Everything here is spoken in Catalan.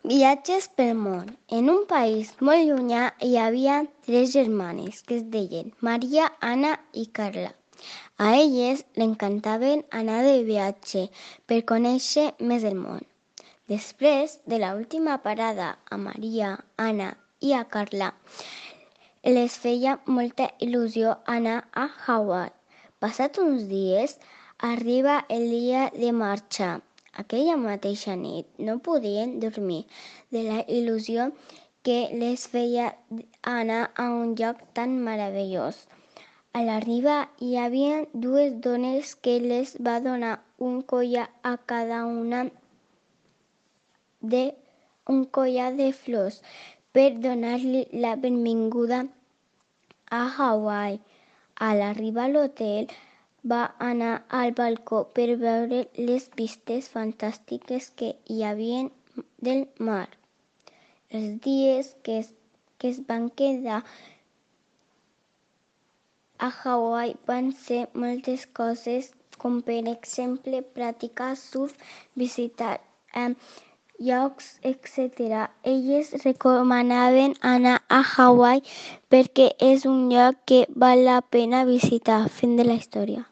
Viatges pel món. En un país molt llunyà hi havia 3 germanes que es deien Maria, Anna i Carla. A elles l'encantaven anar de viatge per conèixer més el món. Després de l'última parada a Maria, Anna i a Carla, les feia molta il·lusió anar a Hawaii. Passats uns dies, arriba el dia de marxar. Aquella mateixa nit no podien dormir de la il·lusió que les feia anar a un lloc tan meravellós. A l'arribar hi havia 2 dones que les va donar un collar a cada una un collar de flors per donar-li la benvinguda a Hawaii. A l'arribar a l'hotel, va anar al balcó per veure les vistes fantàstiques que hi havia del mar. Els dies que es van quedar a Hawaii van ser moltes coses, com per exemple practicar surf, visitar llocs, etc. Elles recomanaven anar a Hawaii perquè és un lloc que val la pena visitar. Fin de la història.